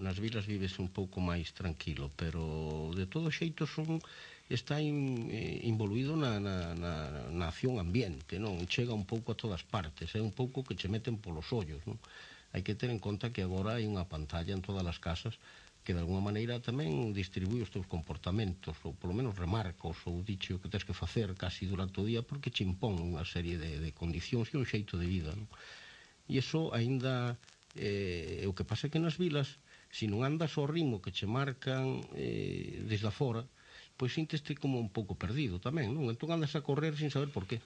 nas vilas vives un pouco máis tranquilo, pero de todo xeito está involuído na acción ambiente, non? Chega un pouco a todas partes, é un pouco que che meten polos ollos, non? Hai que ter en conta que agora hai unha pantalla en todas as casas que de alguna maneira tamén distribui os teus comportamentos, ou polo menos remarcos, ou diche o que tens que facer casi durante o día, porque che impón unha serie de condicións e un xeito de vida, non? E iso aínda o que pasa é que nas vilas, se non andas ao ritmo que che marcan desde afora, pois sinteste como un pouco perdido tamén, non? Entón andas a correr sin saber por qué,